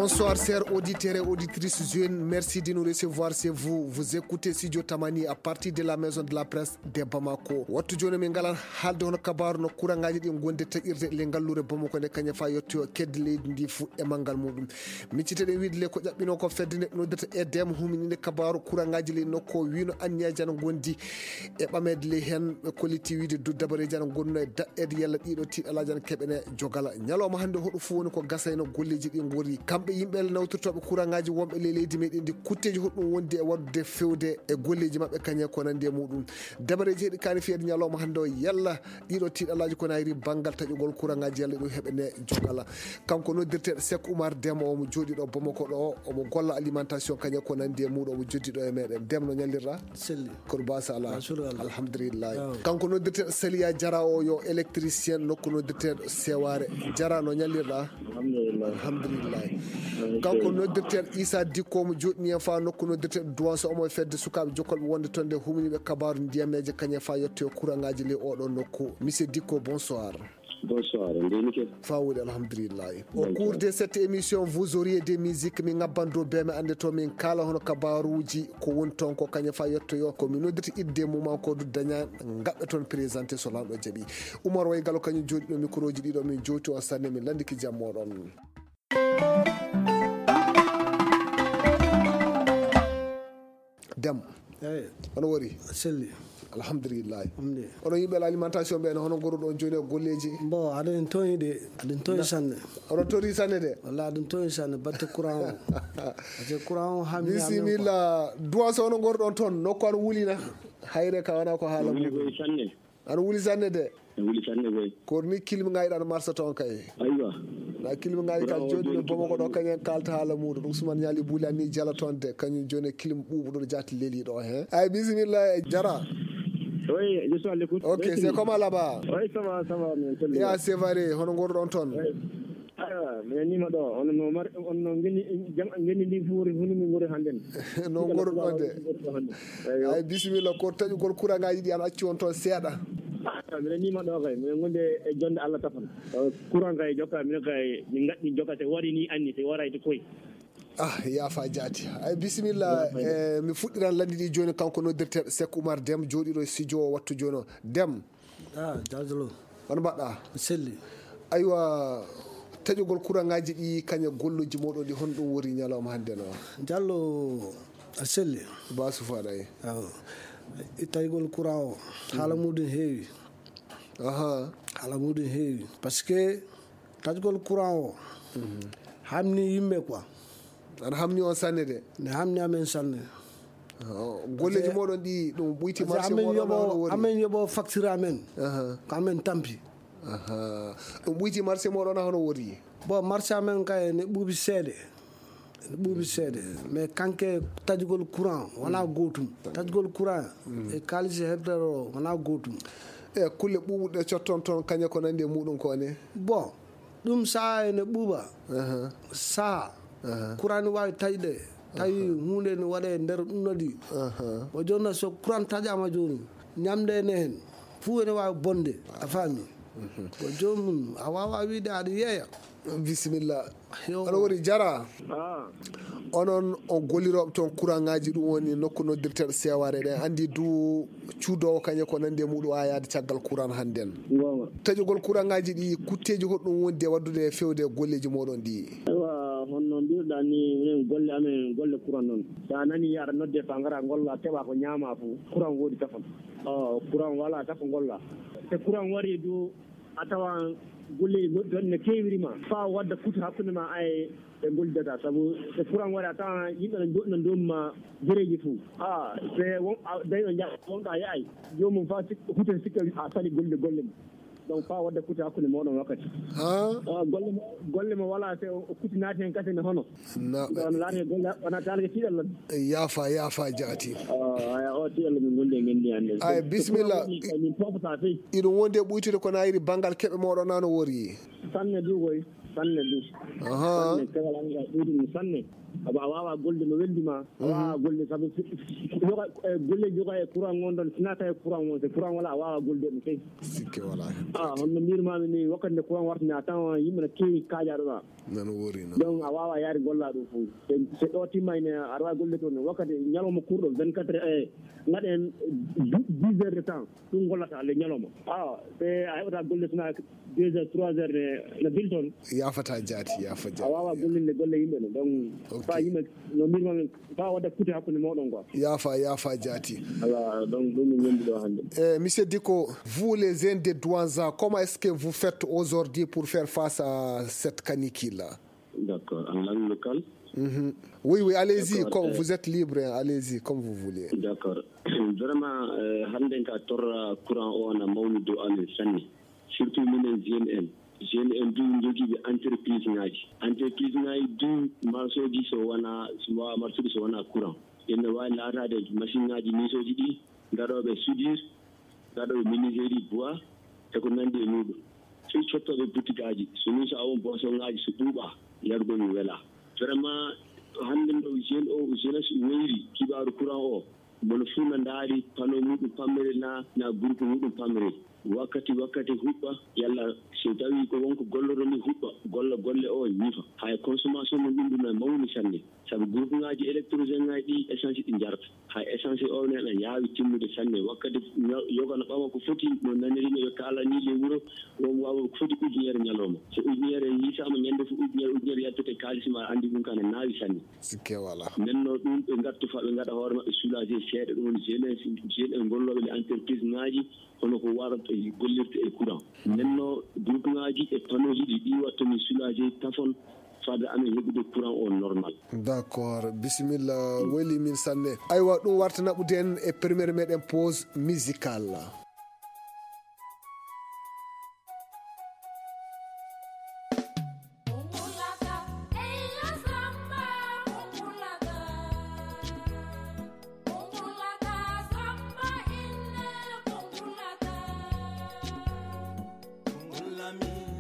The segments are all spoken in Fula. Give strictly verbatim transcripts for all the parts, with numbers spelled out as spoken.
Bonsoir, chers auditeurs et auditrices jeunes. Merci de nous recevoir chez vous. Vous écoutez Studio Tamani à partir de la maison de la presse de Bamako. Wattu jooni min ngalan haalde hono kabaaru no kuraŋaaji ɗi ngonde taƴirde le ngalluure Bamako nde kañum fa yettoyo kedde leydi ndi fuu e manngal muɗum. Micciteɗen wiide le ko ƴaɓɓino ko fedde nde noddirta E D M humininde kabaaru kuraŋaaji le nokko wino anniyaji ana ngondi e ɓameede ley heen. Ɓe kolliti wiide du dabareeji ana ngonno e daɗɗeede yalla ɗiɗo tiiɗalaaji ana keɓene jogala. Ñalawma hannde hoɗo fof woni ko gasayno golleeji ɗi ngori. Kamɓe yimɓe nawtirtooɓe kuraŋaaji wonɓe ley leydi meɗen ndi kutteeji hoɗum wondi e waɗude fewde e golleeji maɓɓe kañe ko nandi e muɗum. Dabareeji heɗi kaani fiyede ñalawma hannde o yalla ɗiɗo tiiɗalaaji ko nayri banngal taƴugol kuraŋaaji yalla ɗum heɓene jogala. Kanko noddirteeɗo Sek Oumar Dem omo jooɗi ɗo Bamako ɗo omo golla alimentation kañe ko nandi e muɗum omo joddi ɗo e meɗen. Dem no ñallirɗa? Selli. Kono basa ala. Alhamdulillah. Kanko noddirteeɗo Saliya Jara o yo électricien nokku noddirteeɗo Seware. Jara no ñallirɗa? Alhamdulillah. Kanko noddirteeɗo Issa Dikko mo joɗni en fa nokku noddirteeɗo Duwanso omo e fedde sukaaɓe jokkolɓe wonde toon nde humniɓe kabaaru ndiyameeje kañe fa yetto e kuraŋaaji ley oɗo nokku. Monsieur Dikko, bonsoir. Bonsoir, ndeni ke? Fa woni alhamdulillahi. Au cours de cette émission, vous auriez des musiques, min ngabban dow bee mi annde to min kaala hono kabaaruuji ko woni toon ko kañum fa yettoyo ko mi noddirta idde mum an ko du daña ngaɓɓe toon présenté so lanɗo jaɓi. Umar Way Galo kañum jooɗi ɗo micro ji ɗiɗo min jowti on sanne min lanndiki jam moɗon. Dem. Eyi. Ono wori? Selli. Alhamdulillahi. Onon yimɓe alimentation ɓe hono ngorruɗon jooni e golleeji? Bon, aɗen toñi de, aɗen toñi sanne. Ono tori sanne de. Walla aɗen toñi sanne batte courant o. Batte courant o hammi. Bisimilla. Duwa so ono ngorruɗon toon nokku an wulina. Hayre ka wana ko haala muɗum. Sanne. Ana wuli sanne de. Ana wuli sanne kay. Kono ni kilmi ngayi ɗan marsa toon kay. Aywa. Na kilmi ngayi ka jooɗi no bomo ko ɗo kañen kalta haala muɗum ɗum suman ñaali buli anni jala toon de kañum jooni kilmi ɓuuɓu ɗo jaati leli ɗo he. Ay bisimilla e jara. Oui, je suis à l'écoute. Ok, c'est comment là-bas? Oui, ça va, ça va. Ya c'est vrai, hono ngorɗon toon? Ah, mi nima ɗo on no mari on no ngeni jam ngeni ndi fuuri hunu mi ngori handen. No ngori ɗo de. Ay bisimilla ko taƴugol kuraŋaaji ɗi an acci on toon seeɗa. Minen nima ɗo kay minen gonde e jonde Allah tafan. Courant kay jokka minen kay min gaɗɗi jokka te waɗi ni anni te waray to koy. Ah, yaafa jaati. Ay bisimilla. Eh, mi fuɗɗiran lanndi ɗi jooni kanko noddirteeɗo Sek Oumar Dem jooɗiɗo e studio o wattu jooni o. Dem. Ah, jaajalo. Hono mbaɗɗa? Selli. Aywa, taƴugol kuraŋaaji ɗi kañe golluji moɗon ɗi honɗum wori ñalawma hannde no? Jallo a selli. Ba sufaɗa e. Awo. Taƴugol courant o haala muɗum heewi. Aha. Haala muɗum heewi parce que taƴugol courant o hamni yimɓe quoi. Ana hamni on sanne de. Ne hamni amen sanne. Golleji moɗon ɗi ɗum ɓuyti marché moɗon amen yoɓo facture amen. Ko amen tampi. Ɗum ɓuyti marché moɗon hono wori? Bon, marché amen kay ne ɓuuɓi seeɗe. Ne ɓuuɓi seeɗe. Mais kanke taƴugol courant wona gootum. Taƴugol courant e kaalisi heɓtere o wona gootum. E kulle ɓuuɓuɗe cotton toon kañe ko nandi e muɗum ko ne? Bon, ɗum saha ene ɓuuɓa. Saha courant ne wawi taƴde tawi hunde ne waɗa e nder ɗum nodi. O jonna so courant taƴama joni ñamde ene hen fuu ene wawi bonde. A faami? Ko joomum a wawa wiide aɗa yeeya. Bisimilla. Aɗa woni jara. Onon on gollirooɓe toon courant ngaji ɗum woni nokku noddirteeɗo seware ɗen andi du cuudowo kañe ko nandi e muɗum a yaade caggal courant hannden. Taƴugol courant ngaji ɗi kutteji hoɗum wondi e waddude e fewde e golleji moɗon ɗi? Aywa, honno mbirɗa ni minen golle amen golle courant noon, sa nani yaɗa nodde fa ngara golla keɓa ko ñaama fof courant woodi tafon. Courant wala tafo golla. Te courant wari du a tawan golleji goɗɗi toon ne kewirima fa wadda kutu hakkunde ma ay e gollidata sabu e courant waɗa a tawan yimɓe no joɗɗina domu ma jereji fou. A se won a dañɗo jaɓa wonɗo a yaay jomum fa huta sikka a sali golle golle mum. Donc fa wadda kutu hakkunde moɗon wakkati. Golle mo wala se o kuti naati hen kasi ne hono. Wona laati golle wona talge tiɗal lan. Yaafa yaafa jaati. Aya o tiɗal min gondi e ngendi hande. Ay bisimilla. Min popata fey. Iɗum wondi e ɓuytude ko nayiri bangal keɓe moɗon nano wori. Sanne du koy sanne du. Aha. Sanne kewal anga ɓuytude sanne. Sabu a waawaa golde no weldi ma, a waawaa golde sabu si- si- yoga- e golleeji yoga e courant ngon ɗon, si naata e courant on, so courant wala a waawaa golde ɗum kay. Sikke wala. A honno mbirmaami ni, wakkati nde courant wartini a tan yimɓe no keewi kaajaaɗo ɗo. Nan wori non. Donc a waawaa yaade gollaa ɗum fof. So ɗo timma ine aɗa waawi golle toon wakkati ñalawma kurɗo vingt-quatre heures, e ngaɗen dix heures de temps, ɗum gollata le ñalawma. Awa so a heɓata golle sona deux heures trois heures ne na bil toon. Yafata jaati yafa jaati a wawa gollinde golle yimɓe no donc fa yimɓe no mbirma fa wadda kuute hakkude moɗon quoi. Yafa yafa jaati. Ala donc ɗum min gondi ɗo hannde. Eh, monsieur Diko, vous les jeunes de Douanza, comment est-ce que vous faites aujourd'hui pour faire face à cette canicule là? D'accord, en langue locale. Mhm. Oui, oui, allez-y, comme vous êtes libre, hein, allez-y comme vous voulez. D'accord. Vraiment, euh, hannde ka torra courant o na mawni dow amen sanne. Surtout minen jeune en. Jeune en du jogiiɓe entreprise ngaji. Entreprise ngaji du marsoji so wona, so wawa marsude so wona courant. Ene wawi laatade machine ngaji misoji ɗi, gaɗoɓe soudure, gaɗoɓe menuiserie bois, e ko nandi e muɗum. Fii cottoɓe butikaji, so ni so awon boso ngaji so ɓuuɓa, yarugol mi wela. Vraiment, hannde ɗo jeune o, jeunesse wayri kibaru courant o. Mono fuu na ndaari panneau muɗum pamrel na, na groupe muɗum pamrel. Wakkati wakkati huɓɓa, yalla so tawi ko wonko golloto ni huɓɓa, golla golle o ñifa. Hay consommation mum ɗum ɗum na mawni sanne. Sabu groupe ngaji électrogène ngaji ɗi essence ɗi jarata. Hay essence o ne na yaawi timmude sanne. Wakkati yoga na ɓama ko foti no nanirino ɓe kala ni le wuro, won wawa ko foti ujunere ñalawma. So ujunere yiisama ñande fu ujunere, ujunere yaltete kaalis ma andi ɗum kana naawi sanne. Sikke wala. Nenno ɗum ɓe ngattu fa ɓe ngaɗa hoore maɓɓe soulagé seeɗa ɗum woni jeunesse, jeune en gollooɓe les entreprise ngaji, hono ko warata e gollirta e courant. Nenno groupe ngaji e panneau ji ɗi ɗi watta min soulagé tafon fada amin heɓude courant o normal. D'accord, bisimilla, weli min sanne. Aywa, ɗum warta naɓude en e première meɗen pause musicale.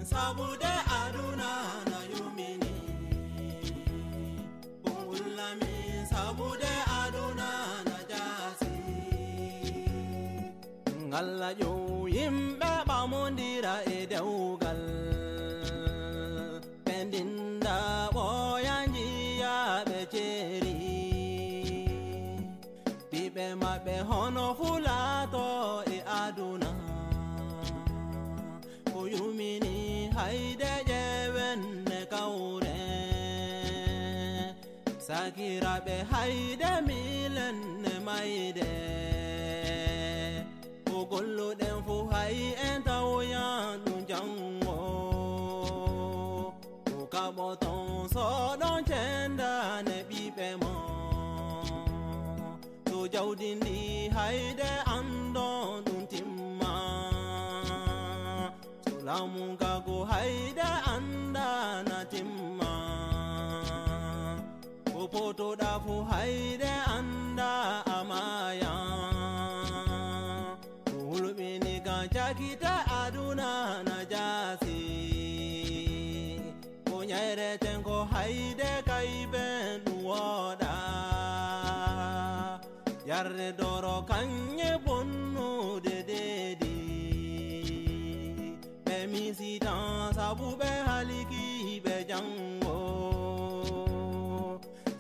Sabude aduna na yumini, kungulami sabude aduna na jasi. Ngalla ƴeew yimɓe ɓamondira e dewgal, ɓe ndinda ɓooya njiya ɓe ceeri. Ɓiɓɓe maɓɓe hono fulaato e aduna, ko yumini hayde ƴeewen ne kawre. Sakiraaɓe hayde miilen ne mayde, ko golluɗen fu hay en tawoyan ɗum janngo. Ko kaɓoton soɗon cendane ɓiɓɓe mon. To jawdi ndi hayde andon ɗum timma. So laamu nga go hayde anda na timma. Ko potoɗa fu hayde anda a maya. Ko hulɓini kan cakita aduna na jaasi. Ko ñayreten ko hayde kayben ɗum wooɗa. Yarde doro kañe bonnude deedi. Ɓe misitan sabu ɓe haliki ɓe janngo.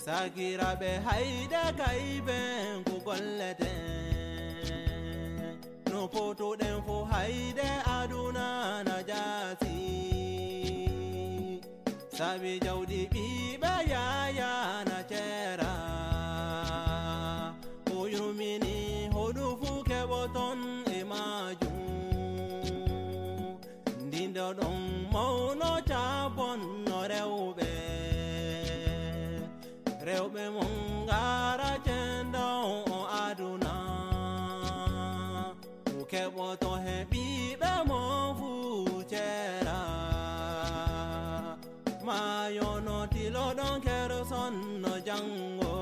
Sakiraaɓe hayde kayben ko golleten. No potoɗen fo hayde aduna na jaasi. Sabi jawdi ɓiɓɓe yaya na ceera. O yumini hoɗu fu keɓoton e majum. Ndindo ɗon mawno cabon no rewɓe. Rewɓe mon ngara cendon o aduna. Ko keɓoto he ɓiɓɓe mon fu ceera. Maayo no tiloɗon keroson no janngo.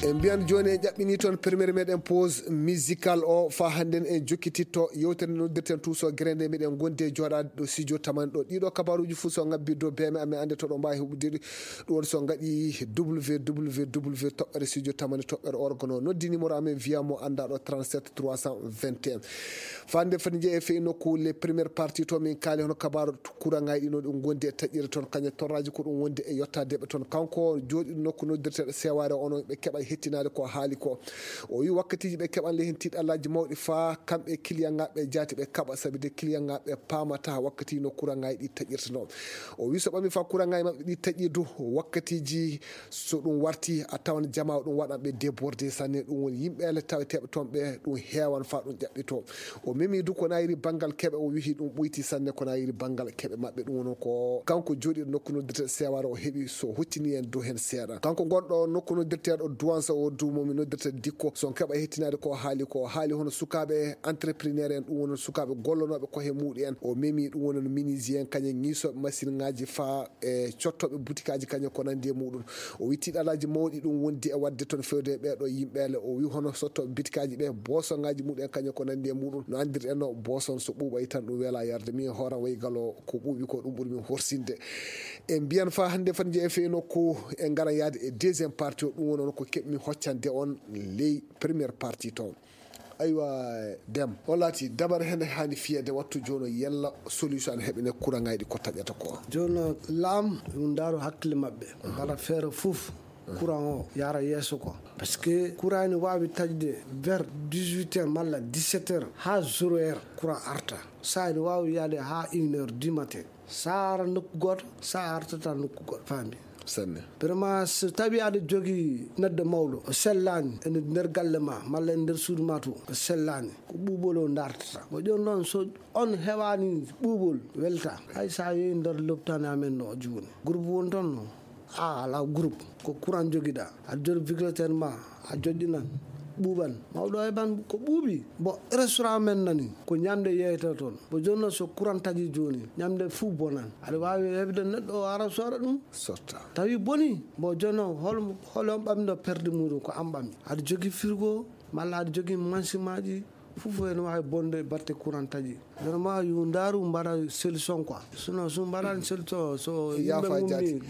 En mbiyan jooni en ƴaɓɓini toon premiére meɗen pause musical o, faa hannden en jokkititto yewtere nde noddirten Tuuso Gere nde. Miɗen ngondi e jooɗaade ɗo studio tamani ɗo. Ɗiɗo kabaaruuji fof so ngabbi dow beeme amen, annde to ɗo mbaawi heɓude ɗi. Ɗum woni so ngaɗi www toɓɓere studio tamani toɓɓere org no. Noddi numéro amen, wiya mo annda ɗo, trente-sept trois cent vingt et un. Fande fati jeeya e fey nokku les premières parties to min kaali hono kabaaru kuraŋaaji ɗi no ɗum ngondi e taƴƴere toon, kañe torraaji ko ɗum wondi e yottadeɓe toon. Kanko jooɗiɗo nokku noddirteɗo Sewaare o, onon ɓe keɓa hettinaade ko haali ko. O wi wakkatiiji ɓe keɓan le heen tiiɗallaaji mawɗi faa kamɓe kiliyanŋaaɓe jaati ɓe kaɓa, sabi de kiliyanŋaaɓe paamata wakkati no kuraŋaaji ɗi taƴƴirta no. O wi so ɓami faa kuraŋaaji maɓɓe ɗi taƴƴi du, wakkatiiji so ɗum warti a tawan jamaa o ɗum waɗan ɓe débordé sanne. Ɗum woni yimɓe le taweteeɓe toon ɓe ɗum heewan faa ɗum ƴaɓɓito. O memi du ko nayiri banngal keɓe, o wihi ɗum ɓoyti sanne ko nayiri banngal keɓe maɓɓe. Ɗum woni ko kanko jooɗiɗo nokku noddirteɗo Sewaare o heɓi so hoccini en dow heen seeɗa. Kanko gonɗo nokku noddirteɗo Duwansa o du mo mi noddirta Dikko, so on keɓa hettinaade ko haali ko. O haali hono sukaaɓe entrepreneur en, ɗum woni sukaaɓe gollonooɓe koye muɗum en. O memi ɗum woni menuisier en, kañum ŋiisooɓe masiŋaaji faa e cottooɓe butikaaji kañum ko nanndi e muɗum. O wi tiiɗalaaji mawɗi ɗum wondi e waɗde toon fewde e ɓeeɗo yimɓe le. O wi hono sottooɓe bitikaaji ɓe, bosoŋaaji muɗum en kañum ko nanndi e muɗum. No anndirɗen no boson so ɓuuɓay tan ɗum weelaa yarde. Min hooram wayi galo ko ɓuuɓi ko ɗum ɓuri min horsinde. En mbiyan faa hannde fati jeeya e fey nokku, en ngaran yahde e deuxième partie o, ɗum woni on ko keɓmi hoccande on ley première partie toon. Aywa, Dem, o laati dabare hende haani fiyeede wattu jooni o, yalla solution ana heɓe ne kuraŋaaji ɗi ko taƴata ko? Jooni o, laam yo ndaaru hakkille maɓɓe, mbaɗa feere fof courant o yaara yeeso ko. Parce que courant ne waawi taƴde vers dix-huit heures malla dix-sept heures haa zéro heure courant arta. Saa ene waawi yaade haa une heure du matin. Sa ara nokku gooto, sa artata nokku gooto, faami? Sanne. Vraiment, so tawi aɗa jogii neɗɗo mawɗo, o sellaani e nder galle ma, malla e nder suudu ma to, o sellaani, ko ɓuuɓol o dartata. Ko jooni noon, so on heɓaani ɓuuɓol, welta. Hay sa yehi nder lopitaane amen ɗo jooni. Groupe woni toon, no? A alaa groupe, ko courant jogiɗaa. Aɗa jogii ventilateur ma, a joƴƴinan, ɓuuɓan. Mawɗo heɓan ko ɓuuɓi. Bon, restaurant men nani, ko ñamde yeeyata toon. Bon, jooni noon so courant taƴi jooni, ñamde fuu bonan. Aɗa waawi heɓde neɗɗo o ara sooda ɗum? Sotta. Tawi boni, bon, jooni noon hol, hol on ɓamɗo perde muɗum ko an ɓami. Aɗa jogii frigo, malla aɗa jogii mansimaaji, fof ene waawi bonde batte courant taƴi. Vraiment, yo ndaaru mbaɗa solution quoi. Sinon, so mbaɗaani solution, so yimɓe Yaafa mumni, jaati.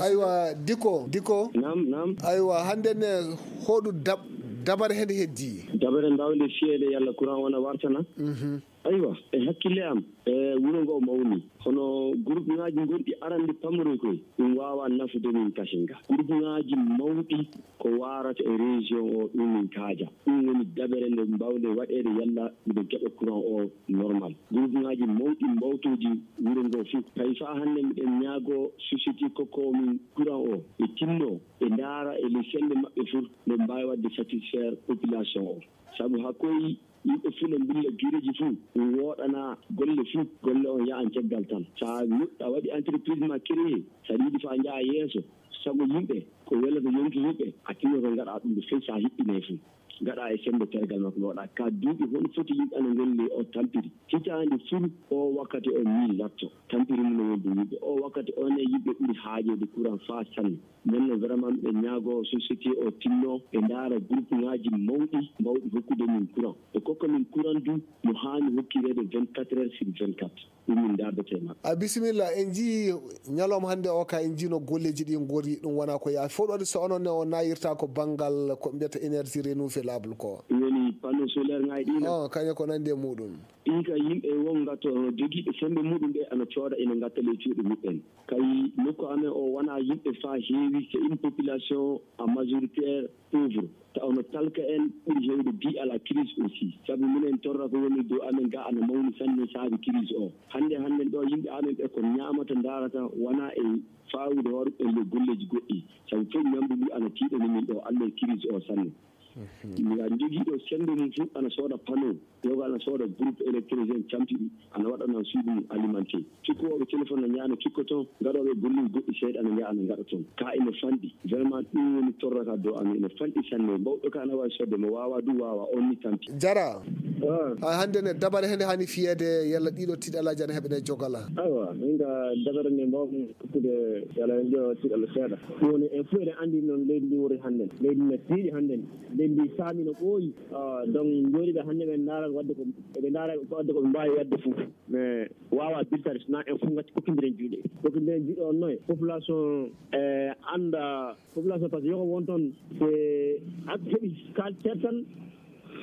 Aywa, Diko, Diko. Naam, naam. Aywa, hannde ne, hoɗu dab-, dabare hende heddi? Dabare mbaawnde fiyeede yalla courant wona wartana? Mhm. Aywa, e hakkille am, e wuro ngo mawni. Hono groupe ŋaaji gonɗi arande pamroy koy, ɗum waawaa nafude min kasinga. Groupe ŋaaji mawɗi ko waarata e région o, ɗum min kaaja. Ɗum woni dabere nde mbaawnde waɗeede yalla miɗen keɓa courant o normal. Groupe ŋaaji mawɗi mbawtooji wuro ngo fof. Tawi faa hannde miɗen ñaagoo société kokko min courant o, ɓe tinno, ɓe ndaara e les semmbe maɓɓe fof, nde mbaawi waɗde satisfaire population o. Sabu haa koy yimɓe fof no mbulla gireeji fof, ɗum wooɗana golle fof, golle on yahan caggal tan. So a nuɗɗa waɗi entreprise ma créé, so aɗa yiɗi faa njaha yeeso, sago yimɓe, ko welata yonki yimɓe, a tinnoto ngaɗa ɗum ɗo fey so a hiɓɓinay fof. Ngaɗa e semmbe tergal makko no waɗa. Ka duuɓi hono foti yimɓe ana ngolli o tampiri. Hitaande fof o wakkati o min latto. Tampiri mum no wonde yimɓe. O wakkati on e yimɓe ɓuri haajeede courant faa sanne. Nden no vraiment miɗen ñaagoo société o tinno ɓe ndaara groupe ŋaaji mawɗi mbawɗi hokkude min courant. Ɓe kokka min courant du no haani hokkireede vingt-quatre heures sur vingt-quatre. Ɗum min ndaardete e maɓɓe. A bisimilla, en njii ñalawma hannde o ka en njii no golleeji ɗi ngori, ɗum wonaa ko yaafi. Fof ɗo waɗi so onon ne o nayirta ko banngal ko mbiyata énergie renouvelable ko. Ɗum woni panneau solaire ŋaaji ɗi na? Oh, kañum ko nanndi e muɗum. Ɗin ka yimɓe won ngatto jogiiɓe semmbe muɗum ɓe ana cooda ina ngatta ley cuuɗi muɓɓen. Kay nokku amen o wonaa yimɓe faa heewi, c'est une population en majoritaire pauvre. Taw no talka en ɓuri heewde bi ala crise aussi. Sabu minen torra ko woni dow amen ga ana mawni sanne saabi crise o. Hannde hannden ɗo yimɓe amen ɓe ko ñaamata ndaarata wonaa e faawude hoore ɓen le golleeji goɗɗi. Sabu fof ñamdu ndu ana tiiɗani min ɗo alle crise o sanne. Nga jogiiɗo sennde mum fof ana sooda panneau, yoga ana sooda groupe électrogène, camti ɗi ana waɗana suudu mum alimenté. Cikkooɓe téléphone no ñaano cikko toon, gaɗooɓe golluji goɗɗi seeɗa ana njaha ana ngaɗa toon. Ka ina fanɗi. Vraiment ɗum woni torrata dow amen, ina fanɗi sanne. Mawɗo ka ana waawi sodde mo, waawaa du waawaa, on ni tampi. Jara. Ah. Hay hannde ne dabare hende hani fiyeede yalla ɗiɗo tiiɗalaaji ana heɓene jogala. Awa, min ka dabare nde mbawmi hokkude yalla en ƴeewa tiiɗalla seeɗa. Ɗum woni en fof eɗen anndi noon leydi ndi woni hannden. Leydi ndi tiiɗi hannden. Leydi ndi saami no ɓooyi. Ah, donc, njooɗiiɓe hannde ɓe ndaara waɗde ko, eɓe ndaara waɗde ko ɓe mbaawi waɗde fof. Mais waawaa biltaade, so na en fof ngati kokkindiren juuɗe. Kokkindiren juuɗe on noye. Population, eh, annda, population, parce que yoko won toon, se a heɓi kal tertal,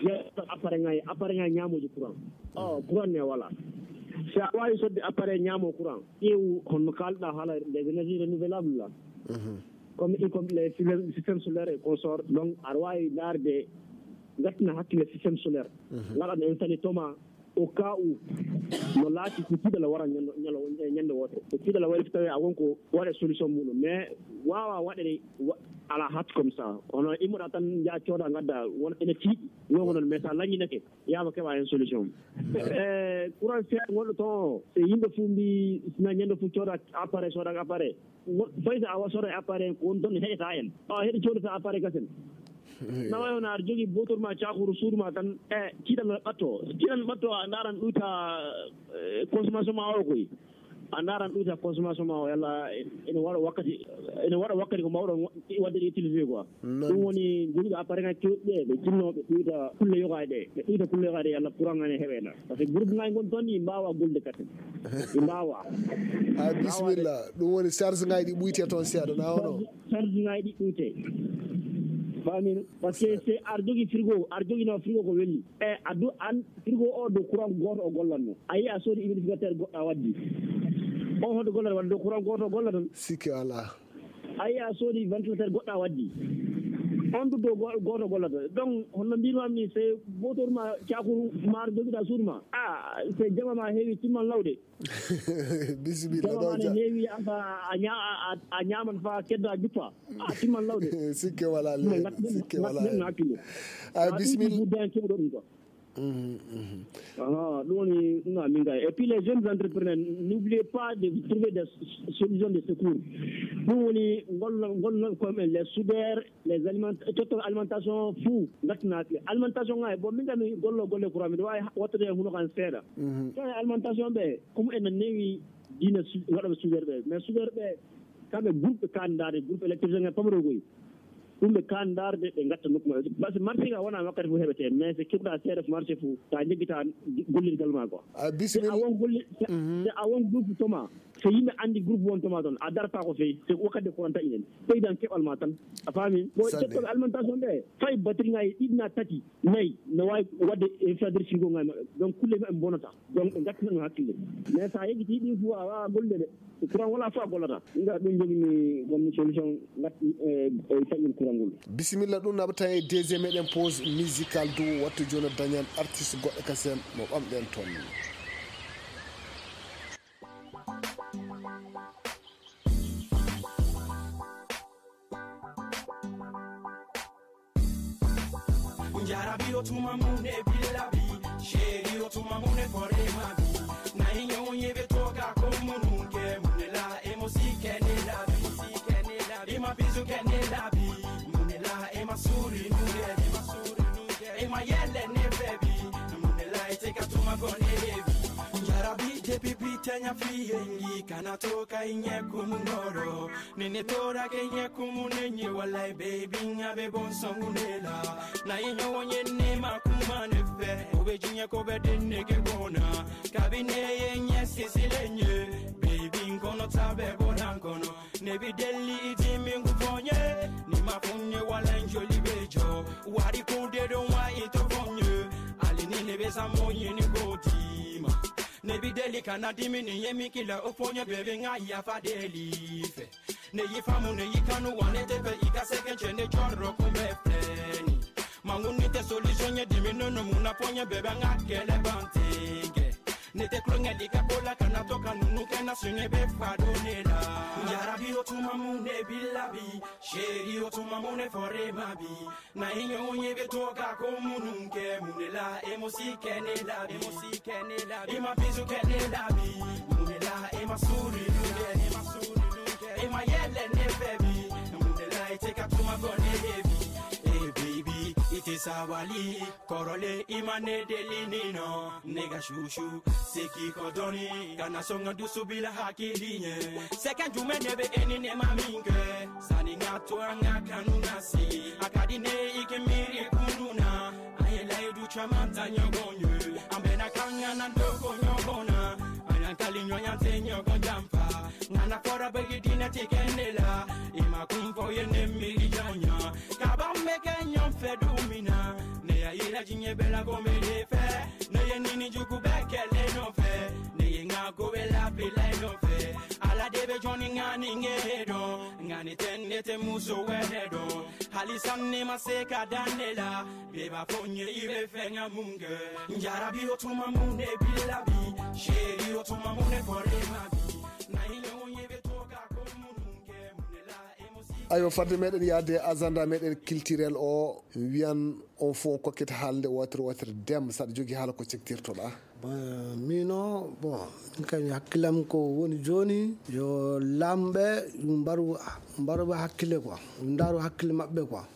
yeeso appareil ngaji, appareil ngaji ñaamooji courant. Oh, courant ne wala. Si a waawi sodde appareil ñaamo courant, ƴeewu honno kaalɗa haala les énergies renouvelables la. Mhm. Comme, y compris les systèmes, systèmes solaires et consorts, donc aɗa waawi ndaarde, ngattina hakkille système solaire. Mhm. Ngaɗa ɗo installé toma, au cas où no laati ko tiiɗalla wara ñande, ñalo-, ñande wootere. Ko tiiɗalla wari, so tawii a won ko waɗa solution muɗum, mais waawaa waɗede wa-, à la hâte comme ça. Kono immoɗaa tan, njaha cooda, ngadda, won ene tiiɗi, non ko noon, mais so a lañinake, yaama keɓa heen solution. Eh, courant seeɗa ngonɗo toon o, so yimɓe fof mbi, sina ñande fof cooda appareil, sooda appareil. Wo-, fay so a wa-, sooda appareil, ko won toon heɗata en. Awa heɗe coodata appareil kasen. Eey. Nawa on aɗa jogii bootor ma, cakuru suudu ma tan, e tiiɗal ɓatto. Tiiɗal ɓatto, a ndaaran ɗuyta, eh, consommation ma o koy. A ndaaran ɗuyta consommation ma o, yalla ene waɗa wakkati, ene waɗa wakkati ko mbaawɗon wa-, waɗde ɗe utilisé quoi. Noon. Ɗum woni jogiiɓe appareil ngaji kewɗi ɗe, ɓe jinnoo ɓe ɗuyta kulle yogaaji ɗe. Ɓe ɗuyta kulle yogaaji ɗe, yalla courant ngaji ne heɓe na. Par ce que groupe ngaji ngon toon ɗi mbaawa golde kasen. Ɗi mbaawa. Ha, bisimilla. Ɗum woni charge ngaji ɗi ɓuyte toon seeɗa, na wano? Charge, charge ngaji ɗi ɓuyte. Faamino? Parce que c'est, aɗa jogii frigo, aɗa jogii no frigo ko welli. E a du-, an frigo o dow courant gooto o gollanno. A yii a soodi humidificateur goɗɗo a waddi. On hoto gollata wadde dow courant gooto o gollata. Sikke alaa. A yii a soodi ventilateur goɗɗo a waddi. On du dow go-, gooto gollata. Donc, hono mbiymi ni, c'est bootor ma cakuru ma jogiɗa suudu ma. Ah, c'est jama ma heewi timman lawde. Bisimilla. Jama ma ne heewi, an fa a ña-, a, a, a ñaaman fa kedda juppa. Ah, timman lawde. Sikke walaa, le-, ngat-, sikke ngat-, walaa. Ngat-, hakkille. Ah, bisimilla. Budda en keɓuɗo ɗum quoi. Mhm, mhm. Ah, ɗum woni, ɗum woni min kay. Et puis les jeunes entrepreneurs, n'oubliez pas de trouver des s-, solutions de secours. Ɗum woni ngol, ngol, ngol, comme les soudeurs, les aliments, tottol alimentation fou, ngattinaaɓe. Alimentation ngaji, bon, min kam mi gollo golle courant, miɗo waawi ha-, wattude e huno kan seeɗa. Mhm. Tawi alimentation ɓe, comme ene newi diina su-, waɗa ɓe soudeur ɓe. Mais soudeur ɓe, kamɓe groupe ɓe kan ndaade, groupe électricien ngal pamaro koy. Ɗum ɓe kan ndaarde, ɓe ngatta nokku maɓɓe. Parce que marché ka wona wakkati fof heɓete, mais so keɓɗa seeɗa ko marché fof, ta jeggitaa gollirgal ma quoi. A bisimilla. Si a won golle-, si, mhm, si a won groupe toma, so yimɓe anndi groupe won toma toon, a darata ko feewi, so wakkati courant taƴi en. Ɓeydan keɓal ma tan. A faami? Ko sanne. Cettoɓe alimentation ɓe, fay batterie ngaji ɗiɗi na tati, nayi, no waawi waɗde e fadre frigo ngaji maɓɓe. Donc, kulle maɓɓe bonata. Donc, ɓe ngattina ɗum hakkille. Mais so a yejjitii ɗin fof, a waawaa gollude ɗe. Courant wala fof a gollata. Nga ɗum jogimi, gommi solution, ngat-, e, e taƴol courant ngol. Bisimilla, ɗum naɓata e deuxième meɗen pause musicale dow wattu jooni dañan artiste goɗɗo kasen mo ɓamɗen toon. Jarabi o tuma mune bilabi, sheri o tuma mune kore mabi. Na inyo unye betoka komununke, mune la emo si kene labi, si kene labi. Ima bizu kene labi, mune la ema suri nunge, ema suri nunge. Ema yele ne bebi, mune la iteka tuma gone ebi. Jarabi je pipi tenya fiye, ngi kana toka inye kumundoro. Nene tora ke nye kumu nenye walai baby nga be bon songu nela. Na inyo wonye ne ma kuma ne fe. Obe jinye ko be den ne ke bona. Kabine ye nye sisi le nye. Baby nkono tabe bona nkono. Nebi deli iti mingu fonye. Ni ma fonye wala njoli bejo. Wari kunde don wa ito fonye. Ali ni nebe sa monye ni godima. Nebi deli kana dimi ni yemi kila ofonye baby nga ya fa deli fe. Ne yi famu, ne yi kanu, wane tepe, ika seke, chende, chorro, kumbe, pleni. Mangu ni te solution, ye dimi, no, no, muna, ponye, bebe, nga, kele, bantenge. Ne Ete kulongeli ka kola kana toka nunu kena sunye be fado nela. Yarabi otuma mune bilabi, sheri otuma mune forema bi. Na inyo unye be toka ko mununke munela emosi kenela bi. Emosi kenela bi. Ima bizu kenela bi. Munela ema suri lunge, ema suri lunge. Ema yele ne febi. Munela ite katuma gone hebi. Hey baby, ite sawali. Korole imane delinino, nega shushu, seki kodoni, kana songa dusu bila hakilinye. Seka jume nebe eni ne maminge, sani nga to anga kanu nasi. Akadi ne ike miri kununa, aye lai du chamanta nyogonyo. Ambena kanga na ndoko nyogona, ayan kali nyoyante nyogon jampa. Ngana fora bagi dina tikendela, ima kumfo ye ne miri jonya. Kabambe ke nyom fe dumina, ne ya ila jinye bela gomele fe. Ne ye nini juku bekele no fe, ne ye nga go bela pila no fe. Ala debe joni ngani ngedo, ngani tende te muso wedo. Hali sanne maseka danela, beba fonye ibe fenga munge. Njarabi otuma mune bilabi, sheri otuma mune forema bi. Na ile unye betoka komununge munela. Aywa, fadde meɗen yahde e agenda meɗen culturel o, wiyan on fof on kokkita haalde wootere wootere. Dem, saɗa jogii haala ko cektirtoɗaa? Bon, miino, bon, min kam hakkillam ko woni jooni, yo laamɓe mbaru, mbaru hakkille quoi, ndaaru hakkille maɓɓe quoi.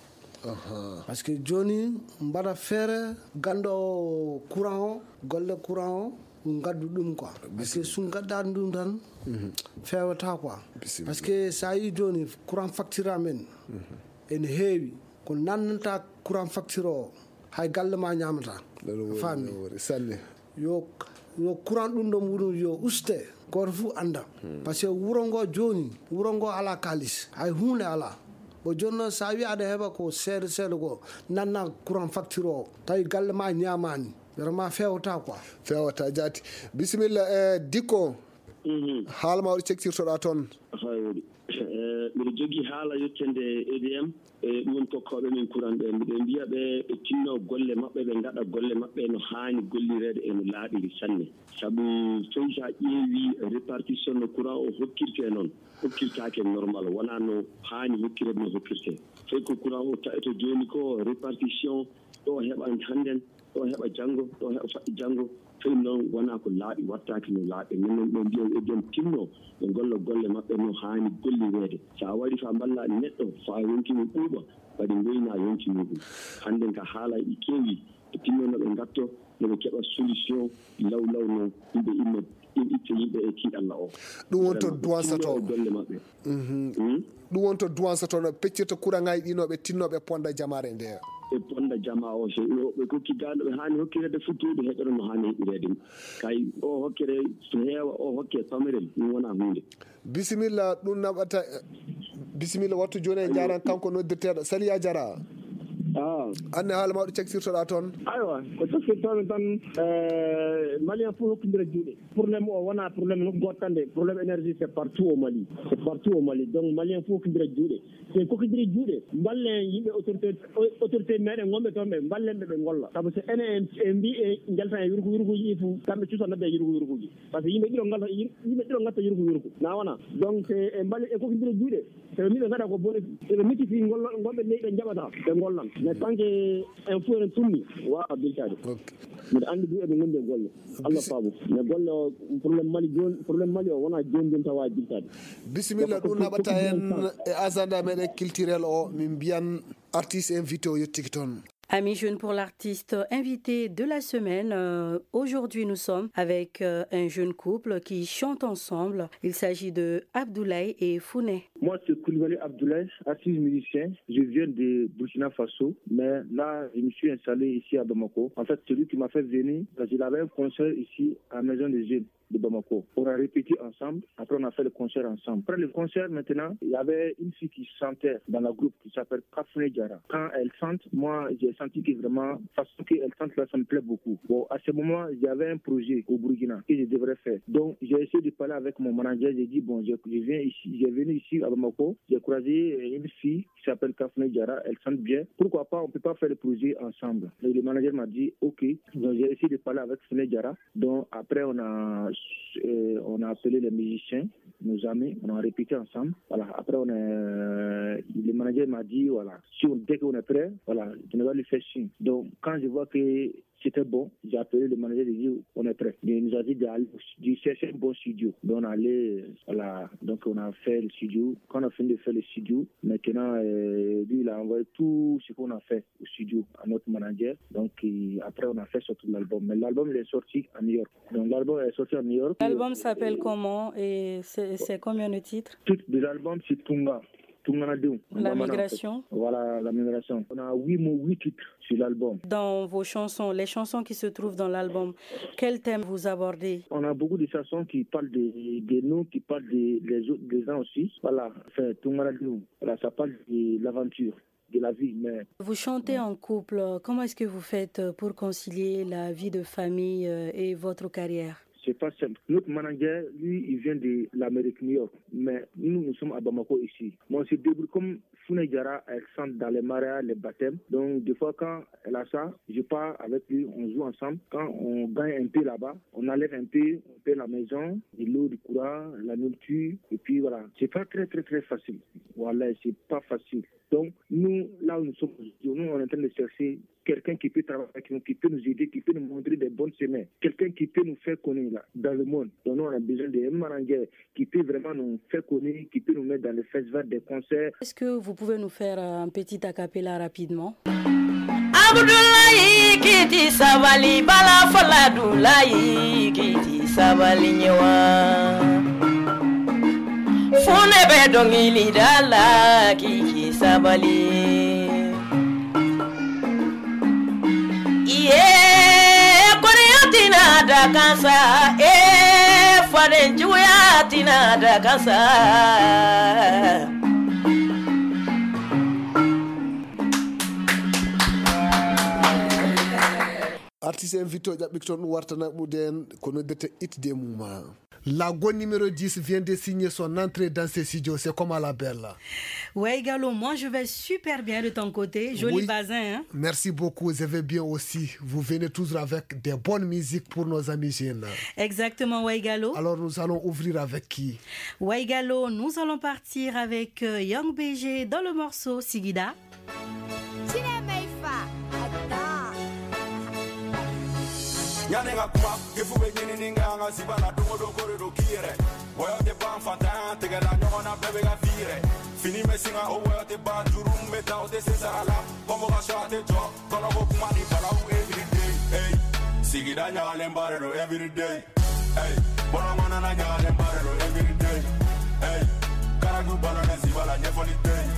Aha. Parce que jooni mbaɗa feere ganndo courant o, golle courant o, ngaddu ɗum quoi. Parce que so ngaddaani ɗum tan, feewata quoi. Parce que so a yii jooni courant facture amen ene heewi, ko nannanta courant facture o, hay galle ma ñaamata. A faami? Sanne. Yo, yo courant ɗum ɗon wuro yo uste, gooto fof annda. Parce que wuro ngo jooni, wuro ngo alaa kaalis, hay huunde alaa. Bon, jooni noon, so a wii aɗa heɓa ko seeɗa seeɗa ko, nanna courant facture o, tawi galle ma ñaamaani, vraiment feewata quoi. Feewata jaati. Bisimilla, eh, Dikko. Mhm. Haala ma waɗi cektirtoɗaa toon. Hay waɗi. Eh, mbiɗo jogii haala yettande E D M, e ɗum woni kokkooɓe men courant ɓe. Mbiɗo mbiya ɓe, ɓe tinno golle maɓɓe, ɓe ngaɗa golle maɓɓe no haani gollireede e no laaɓiri sanne. Sabu fey so a ƴeewi répartition no courant o hokkirtee noon, hokkirtaake normal, wonaa no haani hokkireede no hokkirtee. Fey ko courant o taƴata jooni ko répartition, ɗo heɓa hannden, ɗo heɓa janngo, ɗo heɓa faɗɗi janngo. Fey noon wonaa ko laaɓi, waɗtaake no laaɓi. Min noon ɓe mbiya E D M tinno, ɓe ngolla golle maɓɓe no haani gollireede. So a waɗi faa mballa neɗɗo, faa yonki mum ɓuuɓa, kadi ngoyna yonki muɗum. Hannden ka haala e ɗi keewi, ɓe tinno no ɓe ngatto, no ɓe keɓa solution law law no yimɓe imma, im-, itta yimɓe e tiiɗalla o. Ɗum woni to Vraiment, ɓe duwansa tinno to. E golle maɓɓe. Mhm. Hmm? Ɗum woni to duwansa to, no peccirta kuraŋaaji ɗi, no ɓe tinno ɓe ponda jamaare nde. Ɓe ponda jama o, so ɓe kokki ga no ɓe haani hokkireede futtude, heɓere no haani heɓireede. Kay o hokkere so heewa, o hokke pamirel, ɗum wona huunde. Bisimilla, ɗum naɓata. Bisimilla, wattu jooni en njaaran kanko noddirteeɗo. Sali, a jara. Ah. Anne haala ma ɗo caktirtoɗaa toon. Aywa, ko caktirtomi tan, eh, Malien fof hokkindira juuɗe. Problème o wona problème nokku gooto tan de. Problème énergie, c'est partout au Mali. C'est partout au Mali. Donc, Malien fof hokkindira juuɗe. So en kokkidiri juuɗe, mballen yimɓe autorité, autorité meɗen wonɓe toon ɓe, mballen ɓe ɓe ngolla. Sabu so enen en, en mbi en njaltan e yurko yurkuji ɗi fof, kamɓe cuusa nodda e yurko yurkuji. Par ce que yimɓe ɗiɗo ngalta, yimɓe ɗiɗo ngatta yurko yurko. Na wona? Donc, se en mbali, en kokkidiri juuɗe, so ɓe mbi ɓe ngaɗa ko boni, so ɓe micciti ngol-, ngolɓe leyɗe njaɓata, ɓe ngollan. Mais tant que en fof en tummi, waawa biltaade. Ok. Mbiɗa anndi du eɓe ngondi e golle. Allah faabu. Mais golle o, problème Mali jooni, problème Mali o wona jooni jooni tan waawi biltaade. Bisimilla, donc, ɗum naɓata en e agenda meɗen culturel o, min mbiyan artiste invité o yettiki toon. Amis jeunes, pour l'artiste invité de la semaine, euh, aujourd'hui nous sommes avec, euh, un jeune couple qui chante ensemble. Il s'agit de Abdoulaye et Founé. Moi, c'est Koulibaly Abdoulaye, artiste musicien. Je viens de Burkina Faso, mais là, je me suis installé ici à Bamako. En fait, celui qui m'a fait venir, parce qu'il avait un concert ici à la Maison des Jeunes. de Bamako. On a répété ensemble, après on a fait le concert ensemble. Après le concert, maintenant, il y avait une fille qui chantait dans le groupe qui s'appelle Kafouné Diarra. Quand elle chante, moi, j'ai senti que vraiment, façon qu'elle chante là, ça me plaît beaucoup. Bon, à ce moment, j'avais un projet au Burkina que je devrais faire. Donc, j'ai essayé de parler avec mon manager. J'ai dit, bon, je, je viens ici, j'ai venu ici à Bamako. J'ai croisé euh, une fille qui s'appelle Kafouné Diarra. Elle chante bien. Pourquoi pas, on peut pas faire le projet ensemble. Et le manager m'a dit, ok. Donc, j'ai essayé de parler avec Founé Diarra. Donc, après, on a, euh, on a appelé les musiciens, nos amis, on a répété ensemble. Voilà. Après, on a, euh, le manager m'a dit, voilà, si on, dès qu'on est prêt, voilà, je vais lui faire signe. Donc, quand je vois que c'était bon, j'ai appelé le manager, j'ai dit, on est prêt. Il nous a dit d'aller au stu-, de chercher un bon studio. Donc, on allait, voilà, donc on a fait le studio. Quand on a fini de faire le studio, maintenant, euh, lui, il a envoyé tout ce qu'on a fait au studio à notre manager. Donc, euh, après, on a fait sortir l'album. Mais l'album, il est sorti en New York. Donc, l'album est sorti en New York. L'album s'appelle comment et c'est c'est combien de titres? Le titre de l'album, c'est Tunga. Tunga na Dew. La migration. Voilà, la migration. On a huit mots, huit titres sur l'album. Dans vos chansons, les chansons qui se trouvent dans l'album, quel thème vous abordez? On a beaucoup de chansons qui parlent de, de nous, qui parlent de, des autres, des gens aussi. Voilà, c'est Tunga na Dew. Voilà, ça parle de l'aventure, de la vie. Mais Vous chantez en couple. Comment est-ce que vous faites pour concilier la vie de famille euh, et votre carrière? C'est pas simple. Notre manager, lui, il vient de l'Amérique, New York. Mais nous, nous sommes à Bamako ici. Moi, je débrouille comme Founé Diarra, elle chante dans les mariages, les baptêmes. Donc, des fois, quand elle a ça, je pars avec lui, on joue ensemble. Quand on gagne un peu là-bas, on enlève un peu, on paie la maison, de l'eau, du courant, la nourriture. Et puis voilà, c'est pas très, très, très facile. Voilà, c'est pas facile. Donc, nous, là où nous sommes aujourd'hui, nous, on est en train de chercher quelqu'un qui peut travailler avec nous, qui peut nous aider, qui peut nous montrer des bonnes chemins, quelqu'un qui peut nous faire connaître là, dans le monde. Donc, nous, on a besoin d'un manager qui peut vraiment nous faire connaître, qui peut nous mettre dans le festival des concerts. Est-ce que vous pouvez nous faire euh, un petit a cappella rapidement? Abdullahi kiti sabali bala fala Abdullahi kiti sabali nyewa. Fune be dongili dala kiki sabali. Iye, koreya tina da kansa, eh, faden juya tina da kansa. Artiste invité o ƴaɓɓiki toon warta naɓude en ko noddete itde muma. La Go numéro dix vient de signer son entrée dans ses studios. C'est comme à la belle. Waïgalo, moi je vais super bien de ton côté. Joli Oui. Bazin, hein? Merci beaucoup, je vais bien aussi. Vous venez toujours avec des bonnes musiques pour nos amis jeunes. Exactement, Waïgalo. Alors nous allons ouvrir avec qui? Waïgalo, nous allons partir avec euh, Young B G dans le morceau Sigida. Ɲani ka kuma, ke fu bɛ ɲinini kɛ an ka Sibala, don o don ko de don k'i yɛrɛ. Wɔyɔ tɛ ban, fantan tɛgɛ la ɲɔgɔn na, bɛɛ bɛ ka f'i yɛrɛ. Fini bɛ singa, o wɔyɔ tɛ ban, juru min bɛ ta, o tɛ se sara la. Convocation a tɛ jɔ, kɔnɔko kuma ni balawu everyday. Hey, sigida ɲagalenba de don everyday. Hey, bɔlɔnkɔnɔna ɲagalenba de don everyday. Hey, karagu balonnen Sibala, ɲɛfɔli tɛ yen.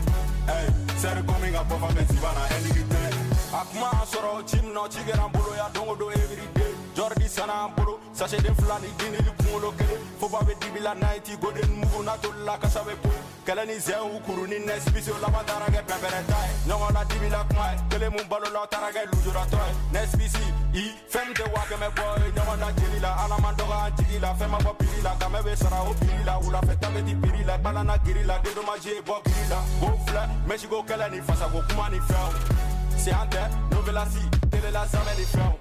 Hey, sɛri komi ka bɔ fan bɛ Sibala, ɛnigi tɛ yen. A kuma y'a sɔrɔ ci min na, ci kɛra an bolo yan don o don everyday. Jɔridi sanna an bolo, sacheten fila ni dinili kunkolo kelen. Foba bɛ dibi la, ninety golden mugu na toli la, kasa bɛ bɔ yen. Kɛlɛ ni zɛnw kuru ni nɛsipisi, o laban taara kɛ pɛnpɛrɛnta ye. Ɲɔgɔn na dibi la kuma ye, kelen mun balola, o taara kɛ lujuratɔ ye. Nɛsipisi, i, fɛn min tɛ waa kɛmɛ bɔ ye, ɲɔgɔn na jeli la, Ala man dɔgɔ an jigi la. Fɛn ma bɔ piri la, kamɛ bɛ sara o piri la. Wulafɛ ta bɛ di piri la, balana giri la, dedomasi ye bɔ giri la. Ko filɛ, mɛsiko kɛlɛ ni fasako kuma ni fɛnw. Se an tɛ, novelasi, telela zamɛ ni fɛnw.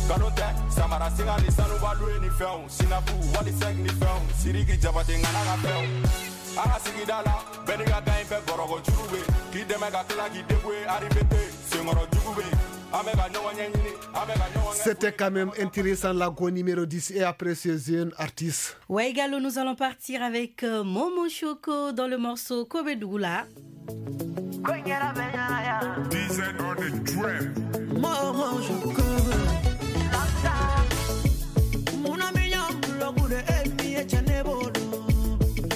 Nkalon tɛ, samara singa ni sanuba luwe ni fɛnw. Sinapu, wali sɛg ni fɛnw. Siriki jabate ŋana ka fɛnw. An ka sigida la, bɛɛ n'i ka kan, i bɛ bɔrɔkɔ juru bɛ. K'i dɛmɛ ka tila k'i débrouiller, arrivé tɛ. Senkɔrɔ jugu bɛ. An bɛ ka ɲɔgɔn ɲɛɲini, an bɛ ka ɲɔgɔn ɲɛ. C'était quand même intéressant, la Go numéro dix. Et après ce jeune artiste. Waïgalo, nous allons partir avec euh, Momo Choco dans le morceau Kobe Dougoula. D Z on the track. Momo Choco. Muna minya mbulo gude emi e chane bodo.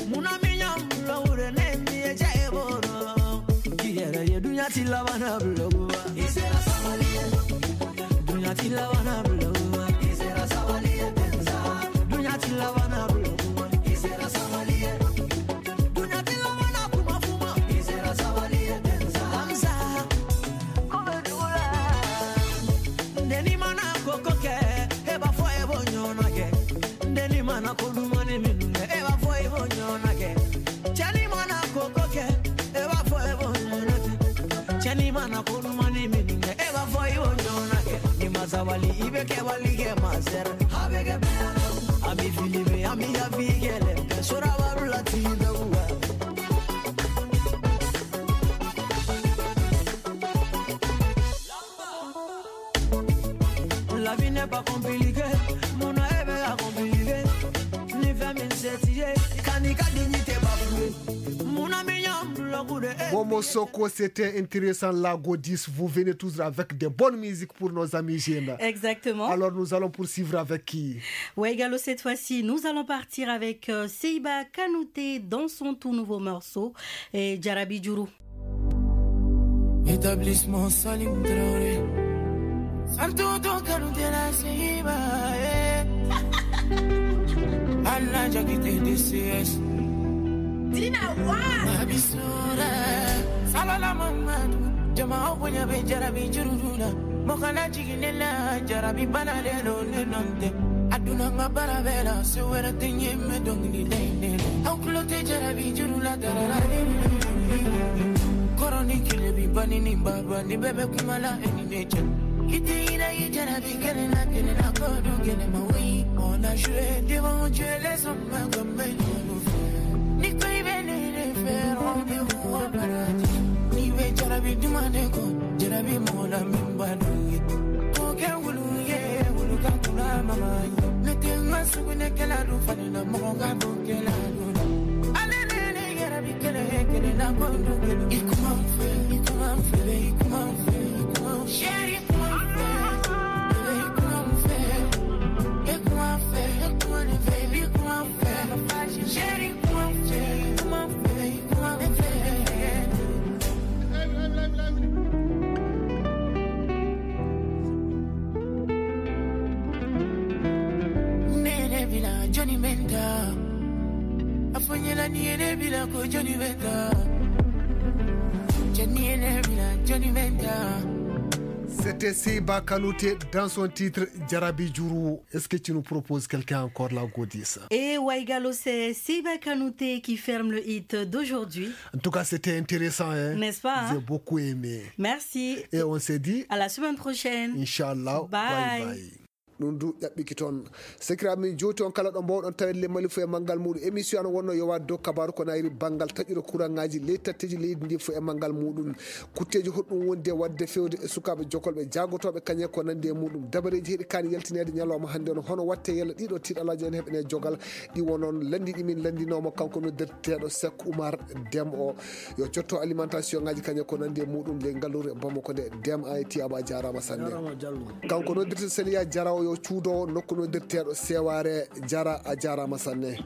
Muna minya mbulo gude ne mi e chane bodo. Kiyere ye dunya tila wana blogu. Dunya tila wana blogu. Dunya tila Ana ko ɗumani min e wa foy wo nyonake. Chani mana koko ke e wa foy wo nyonake. Chani mana ko ɗumani min e wa foy wo nyonake. Ni masawali ibe ke wali ke maser. Habege abi filibe ami ya vigele. Sura warula ti dawa. La vie n'est pas compliquée, mon rêve est compliqué. Ni fais min setiye, kani ka dignité bafoué. Mon ami yam bloku de. Momo Soko, c'était intéressant, la Godis. Vous venez toujours avec des bonnes musiques pour nos amis jeunes. Exactement. Alors nous allons poursuivre avec qui? Waigalo, cette fois-ci, nous allons partir avec euh, Seiba Kanouté dans son tout nouveau morceau, et Jarabi Djourou. Établissement Salim Traoré. Sartuto Kanu de la Seiba, eh. Alla Jagite D C S. Dina wa. Abisura. Salala Mamadu. Jama Obunya be Jarabi Jurudula. Mokana Jiginela Jarabi Banalelo Nenonte. Aduna Mabarabela. Suwera Tinye Medongli Dene. Aukulote Jarabi Jurula Darara. Koroni kile bi bani ni baba ni bebe kumala eni neche. Ite ina i jarabi kele na kele na kodo kele mawi. On a joué devant Dieu, les hommes comme nous. Ni ko ibe ne ne faire rendez-vous au paradis. Ni be jarabi dumane ko jarabi mola min badu. Ko ke wulu ye wulu ka kula mama. Ne te ma sugune kela du fani na mo ka do kela du. Ale ne ne yarabi kele kele na kondo kele. Ikuma fe, ikuma fe, ikuma fe, ikuma. Chérie, comment on fait? Baby, comment on fait? Et comment on fait? Et comment on fait? Baby, comment on fait? Chérie, comment on fait? Comment on fait? Comment on fait? Nene bila Johnny Menta. Afonyela ni ene bila ko Johnny Menta. Johnny ene bila Johnny Menta. C'était Seiba Kanouté dans son titre Jarabi Djourou. Est-ce que tu nous proposes quelqu'un encore, la Godis? Et Waigalo, c'est Seiba Kanouté qui ferme le hit d'aujourd'hui. En tout cas, c'était intéressant, hein? N'est-ce pas, hein? J'ai beaucoup aimé. Merci. Et on se dit à la semaine prochaine. Inchallah. Bye. Bye bye. Ɗum du ƴaɓɓiki toon. Sekiraaɓe, min jooti on kala ɗo mbaawɗon tawede le Mali fof e manngal muɗum. Émission an wonno yowaade dow kabaaru ko nayri banngal taƴude kuraŋaaji ley tatteeji leydi ndi fof e manngal muɗum. Kutteeji hoɗum wondi e waɗde fewde e sukaaɓe jokolɓe jaagotooɓe kañe ko nanndi e muɗum. Dabareeji heɗi kaani yaltineede ñalawma hannde on, hono watte yalla ɗiɗo tiiɗalaaji en heɓene jogal ɗi wonon lanndiɗi min lanndinooma kanko noddirteeɗo Sek Oumar Dem o. Yo cotto alimentation ngaji kañe ko nanndi e muɗum ley ngallure Bamako nde. Dem a e Tiyaba a jaaraama sanne. Kanko noddirteeɗo Seliya Jara o yo cuudowo nokku noddirteeɗo Seware Jara a jaaraama sanne.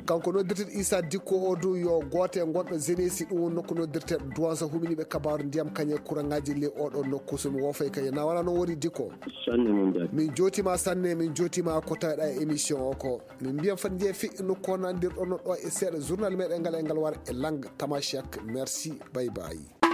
Kanko noddirteeɗo Issa Dikko o du yo gooto e gonɗo Zenesi ɗum woni nokku noddirteeɗo Duwansa huminiɓe kabaaru ndiyam kañe kuraŋaji ley oɗo nokku so mi woofay kañe na wala noon woni Dikko. Sanne min jaari. Min jootima sanne, min jootima ko taweɗa e émission o ko. Min mbiyan fat njeefi nokku o nandirɗo no ɗo e seeɗa journal meɗen ngal e ngal wara e langue tamashek. Merci, bye bye.